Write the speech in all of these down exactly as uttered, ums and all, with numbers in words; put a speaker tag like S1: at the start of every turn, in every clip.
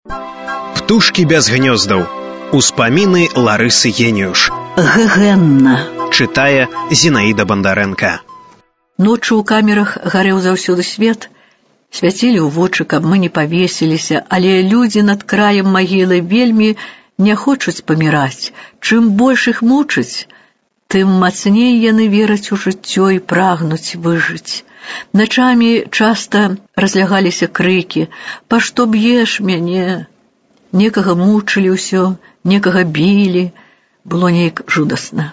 S1: Птушкі без гнёздаў. Успаміны Ларысы Геніюш.
S2: Гэгэнна.
S1: Чытае Зінаіда Бандарэнка.
S2: Ноччу ў камерах гарэў заўсёды свет. Свяцілі ў вочы, каб мы не павесіліся, але людзі над краем магілы вельмі не хочуць паміраць. Чым больш іх мучаць, тым мацней яны вераць у жыццё і прагнуць выжыць. Начамі часта разлягаліся крыкі: «Па што б'еш мяне?» Некага мучылі ўсё, некага білі. Было неяк жудасна.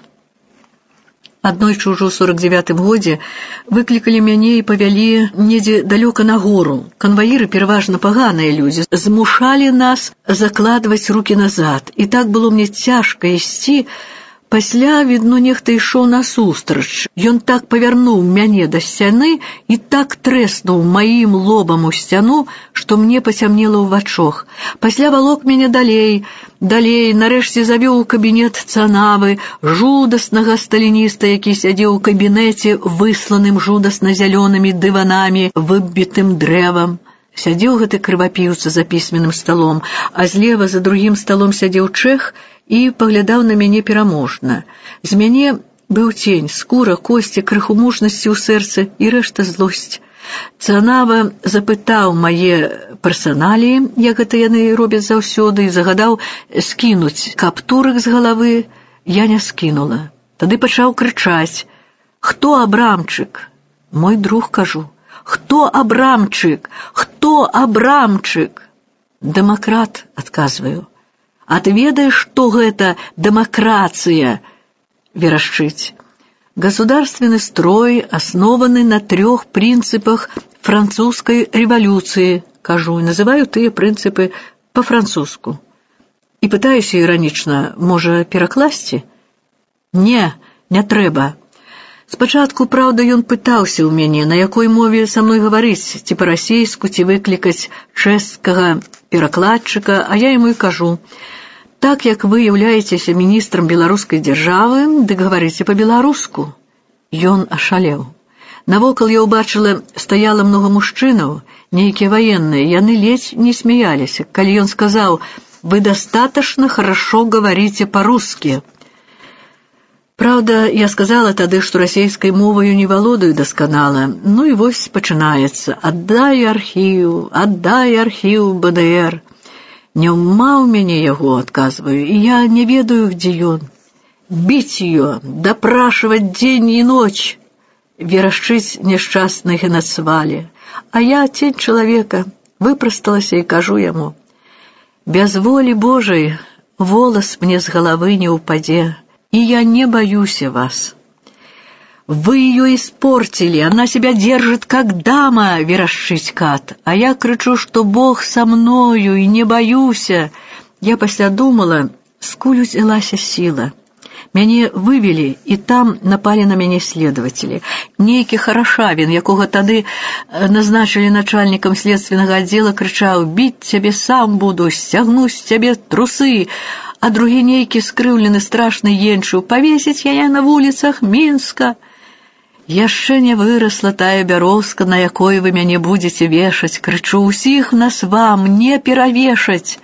S2: Аднойчы ўжо ў сорак дзевятым годзе выклікалі мяне і павялі недзе далёка на гору. Канваіры, пераважна паганыя людзі, змушалі нас закладваць рукі назад. І так было мне цяжка ісці. Пасля, відно, нехта ішоў насустрач. Ён так павярнуў мяне да сцяны і так трэснуў маім лобам у сцяну, што мне пацямнела ў вачах. Пасля валок мяне далей, далей, нарэшце завёў у кабінет Цанавы, жудаснага сталініста, які сядзеў у кабінеце, высланым жудасна-зялёнымі дыванамі, выбітым дрэвам. Сядзеў гэты крывапіўца за пісьменным сталом, а злева за другім сталом сядзеў чэх і паглядаў на мяне пераможна. З мяне быў цень, скура, косці, крыху мужнасці ў сэрцы і рэшта злосць. Цанава запытаў мае персаналіі, як гэта яны робяць заўсёды, і загадаў скінуць каптурык з галавы. Я не скінула. Тады пачаў крычаць: «Хто Абрамчык?» «Мой друг», кажу. «Хто Абрамчык? Хто Абрамчык?» «Дэмакрат», адказваю. «А ты ведаеш, што гэта дэмакратыя?» Верашчыць. «Государственный строй основаны на трех принципах французской революции», кажу, и называю тыя прынцыпы по-французску. І пытаюся іранічна: «Можа, перакласці?» «Не, не трэба». Спачатку, праўда, ён пытаўся ў мяне, на якой мове са мной гаварыць, ці па-расейску, ці выклікаць чэшскага перакладчыка, а я яму і кажу: «Так як вы являецеся міністрам беларускай дзяржавы, дык гаварыце па-беларуску». Ён ашалеў. Навокал я ўбачыла, стаяла многа мужчынаў, нейкія ваенныя, яны ледзь не смяяліся, калі ён сказаў: «Вы достаточно хорошо говорите по-русски». Правда, я сказала тады, што расейскай моваю не валодаю дасканала. Ну і вось пачынаецца: «Аддай архіў, аддай архіў бэ дэ эр». «Няма ў мяне яго», адказваю, «і я не ведаю, где ён». «Бить ее, допрашивать день и ночь», верашчыць няшчасны генацвалі. А я, тень чалавека, выпрасталася і кажу яму: «Без волі Божай волос мне з галавы не упадзе, и я не боюсь вас». «Вы ее испортили, она себя держит как дама», верашчыць кат. А я крычу, что Бог со мною и не боюся. Я пасля думала, скуль узялася сила. Мяне вывели, і там напалі на мяне следователи. Нейкі Харашавін, якога тады назначылі начальнікам следственнага аддзела, крычаў: «Біць цябе сам буду, сцягну з цябе трусы». А другі нейкі скрыўлены страшны енчыў: «Павесіць яе на вуліцах Мінска». Яшчэ не вырасла тая бярозка, на якой вы мяне будзеце вешаць. Крычу: «Усіх нас вам не перавешаць».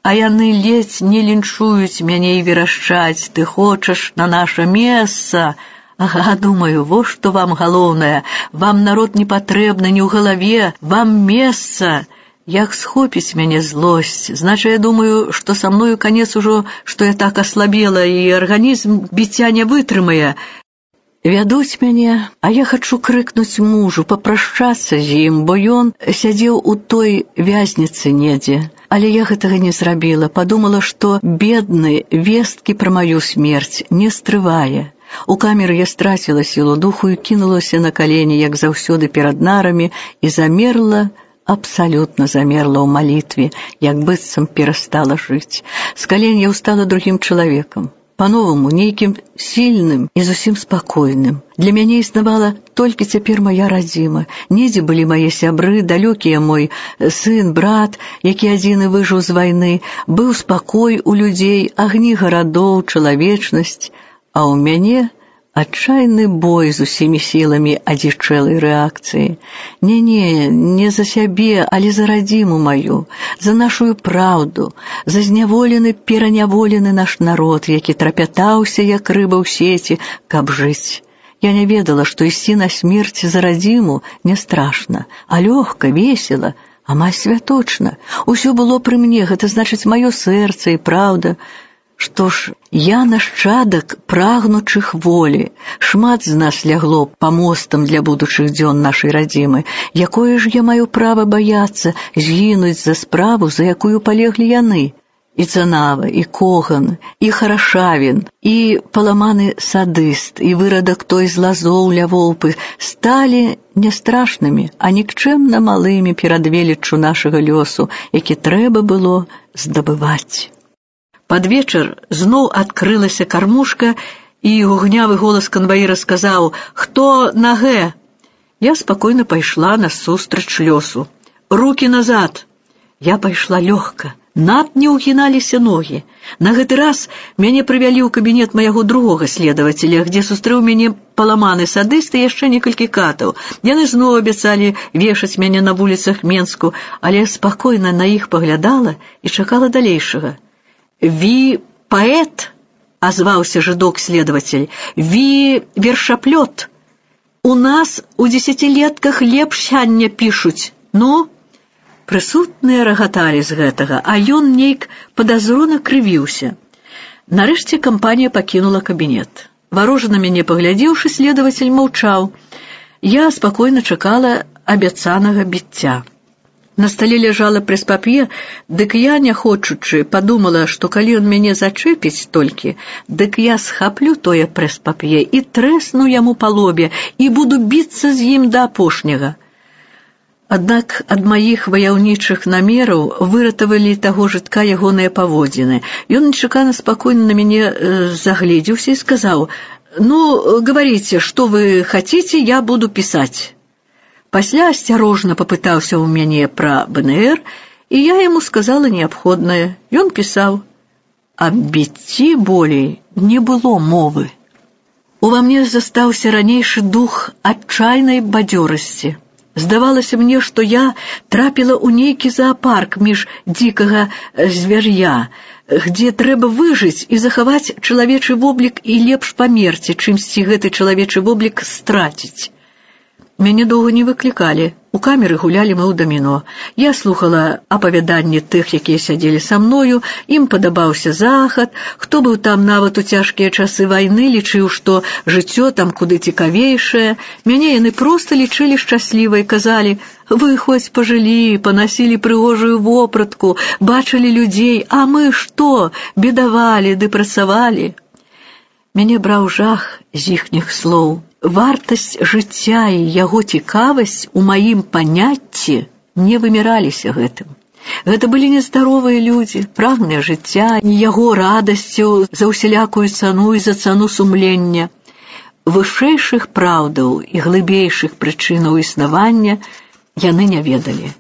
S2: А яны ледзь не лінчуюць мяне і верашчаць: «Ты хочаш на наша месца?» Ага, думаю, во што вам галоўнае. Вам народ не патрэбны ні ў галаве, вам месца. Як схопіць мяне злосць, значит, я думаю, што са мною канец ужо, што я так аслабела, і арганізм біцця не вытрымае. Вядуць мяне, а я хачу крыкнуць мужу, папрашчацца з ім, бо ён сядзеў у той вязніцы недзе. Але я гэтага не зрабіла, падумала, што бедны весткі пра маю смерць не стрывае. У камеры я страціла сілу духу і кінулася на калені, як заўсёды перад нарамі, і замерла, абсалютна замерла ў малітве, як быццам перастала жыць. З калень я ўстала другім чалавекам, па-новаму, нейкім сільным і зусім спакойным. Для мяне існавала толькі цяпер мая радзіма. Недзе былі мае сябры, далёкія мой сын, брат, які адзіны выжыў з вайны. Быў спакой у людзей, агні гарадоў, чалавечнасць, а ў мяне Отчаянный бой з усімі сіламі адзічэлай рэакцыі. Не-не, не за сябе, але за радзіму маю, за нашую праўду, за зняволены, пераняволены наш народ, які трапятаўся, як рыба ў сеці, каб жыць. Я не ведала, што ісці на смерць за радзіму не страшна, а лёгка, весела, амаль святочна. Усё было пры мне, гэта значыць маё сэрца і праўда. Што ж, я нашчадак прагнучых волі. Шмат з нас лягло памостам для будучых дзён нашай радзімы. Якое ж я маю права баяцца згінуць за справу, за якую палеглі яны? І Цанава, і Коган, і Харашавін, і паламаны садыст, і вырадак той з Лазоў ля Волпы сталі не страшнымі, а нікчэмна малымі перад веліччу нашага лёсу, які трэба было здабываць. Пад вечар зноў адкрылася кармушка, і гугнявы голас канваіра сказаў: «Хто на гэ?» Я спакойна пайшла насустрач лёсу. «Рукі назад!» Я пайшла лёгка. Над не ўгіналіся ногі. На гэты раз мяне прывялі ў кабінет майго другога следавацеля, дзе сустрэў мяне паламаны садыст і яшчэ некалькі катаў. Яны зноў абяцалі вешаць мяне на вуліцах Менску, але я спакойна на іх паглядала і чакала далейшага. «Ви паэт?» — азваўся жыдок-следавацель. «Ви вершаплёт? У нас у дзесяцілетках лепш сяння пішуць. Ну?» Прысутныя рагаталі з гэтага, а ён нейк падазрона крывіўся. Нарэшце кампанія пакінула кабінет. Варожа на мяне паглядзеўшы, следавацель маўчаў. Я спакойна чакала абяцанага біцця. На стале ляжала прэс-пап'е, дык я, не хочучы, падумала, што калі ён мяне зачэпіць толькі, дык я схаплю тое прэс-пап'е і трэсну яму па лобе і буду біцца з ім да апошняга. Аднак ад маіх ваяўнічых намераў выратавалі таго жытка ягоныя паводзіны. Ён нечакана спакойна на мяне э, загледзеўся і сказаў: «Ну, говорите, что вы хотите, я буду писать». Пасля асцярожна папытаўся ў мяне пра бэ эн эр, і я яму сказала неабходнае. Ён пісаў. Аб біцці болей не было мовы. Ува мне застаўся ранейшы дух адчайнай бадзёрасці. Здавалася мне, што я трапіла ў нейкі заапарк між дзікага звяр'я, где трэба выжыць і захаваць чалавечы воблік і лепш памерці, чымсьці гэты чалавечы воблік страціць. Мяне доўга не выклікалі. У камеры гулялі мы ў даміно. Я слухала апавяданні тых, якія сядзелі са мною, ім падабаўся захад. Хто быў там нават у цяжкія часы вайны, лічыў, што жыццё там куды цікавейшае. Мяне яны проста лічылі шчаслівай, казалі: «Вы хоць пажылі, панасілі прыгожую вопратку, бачылі людзей, а мы што, бедавалі ды працавалі». Мяне браў жах з іхніх слоў. Вартасць жыцця і яго цікавасць у маім паняцці не выміраліся гэтым. Гэта былі нездаровыя людзі, прагныя жыцця і яго радасцю за ўсялякую цану і за цану сумлення. Вышэйшых праўдаў і глыбейшых прычынаў існавання яны не ведалі.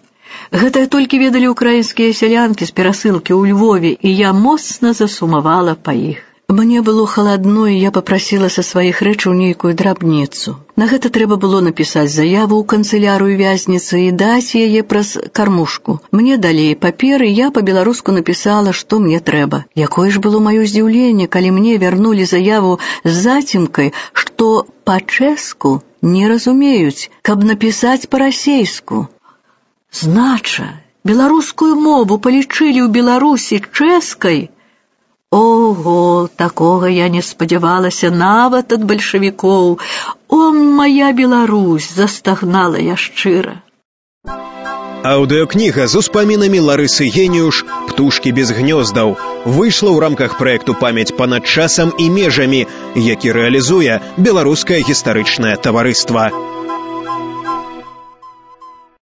S2: Гэта толькі ведалі украінскія сялянкі з перасылкі ў Львове, і я моцна засумавала па іх. Мне было халадно, і я папрасіла са сваіх рэчаў нейкую драбніцу. На гэта трэба было напісаць заяву ў канцылярыю вязніцы і даць яе праз кармушку. Мне далі паперы, я па-беларуску напісала, што мне трэба. Якое ж было маё здзіўленне, калі мне вярнулі заяву з зацімкай, што па-чэску не разумеюць, каб напісаць па-расейску. Знача, беларускую мову палічылі ў Беларусі чэскай? Ого, такога я не спадзявалася нават ад бальшавікоў. О, моя Беларусь, застагнала я шчыра.
S1: Аўдыёкніга з успамінамі Ларысы Геніюш «Птушкі без гнёздаў» выйшла ў рамках праекту «Памяць панад часам і межамі», які рэалізуе Беларускае гістарычнае таварыства.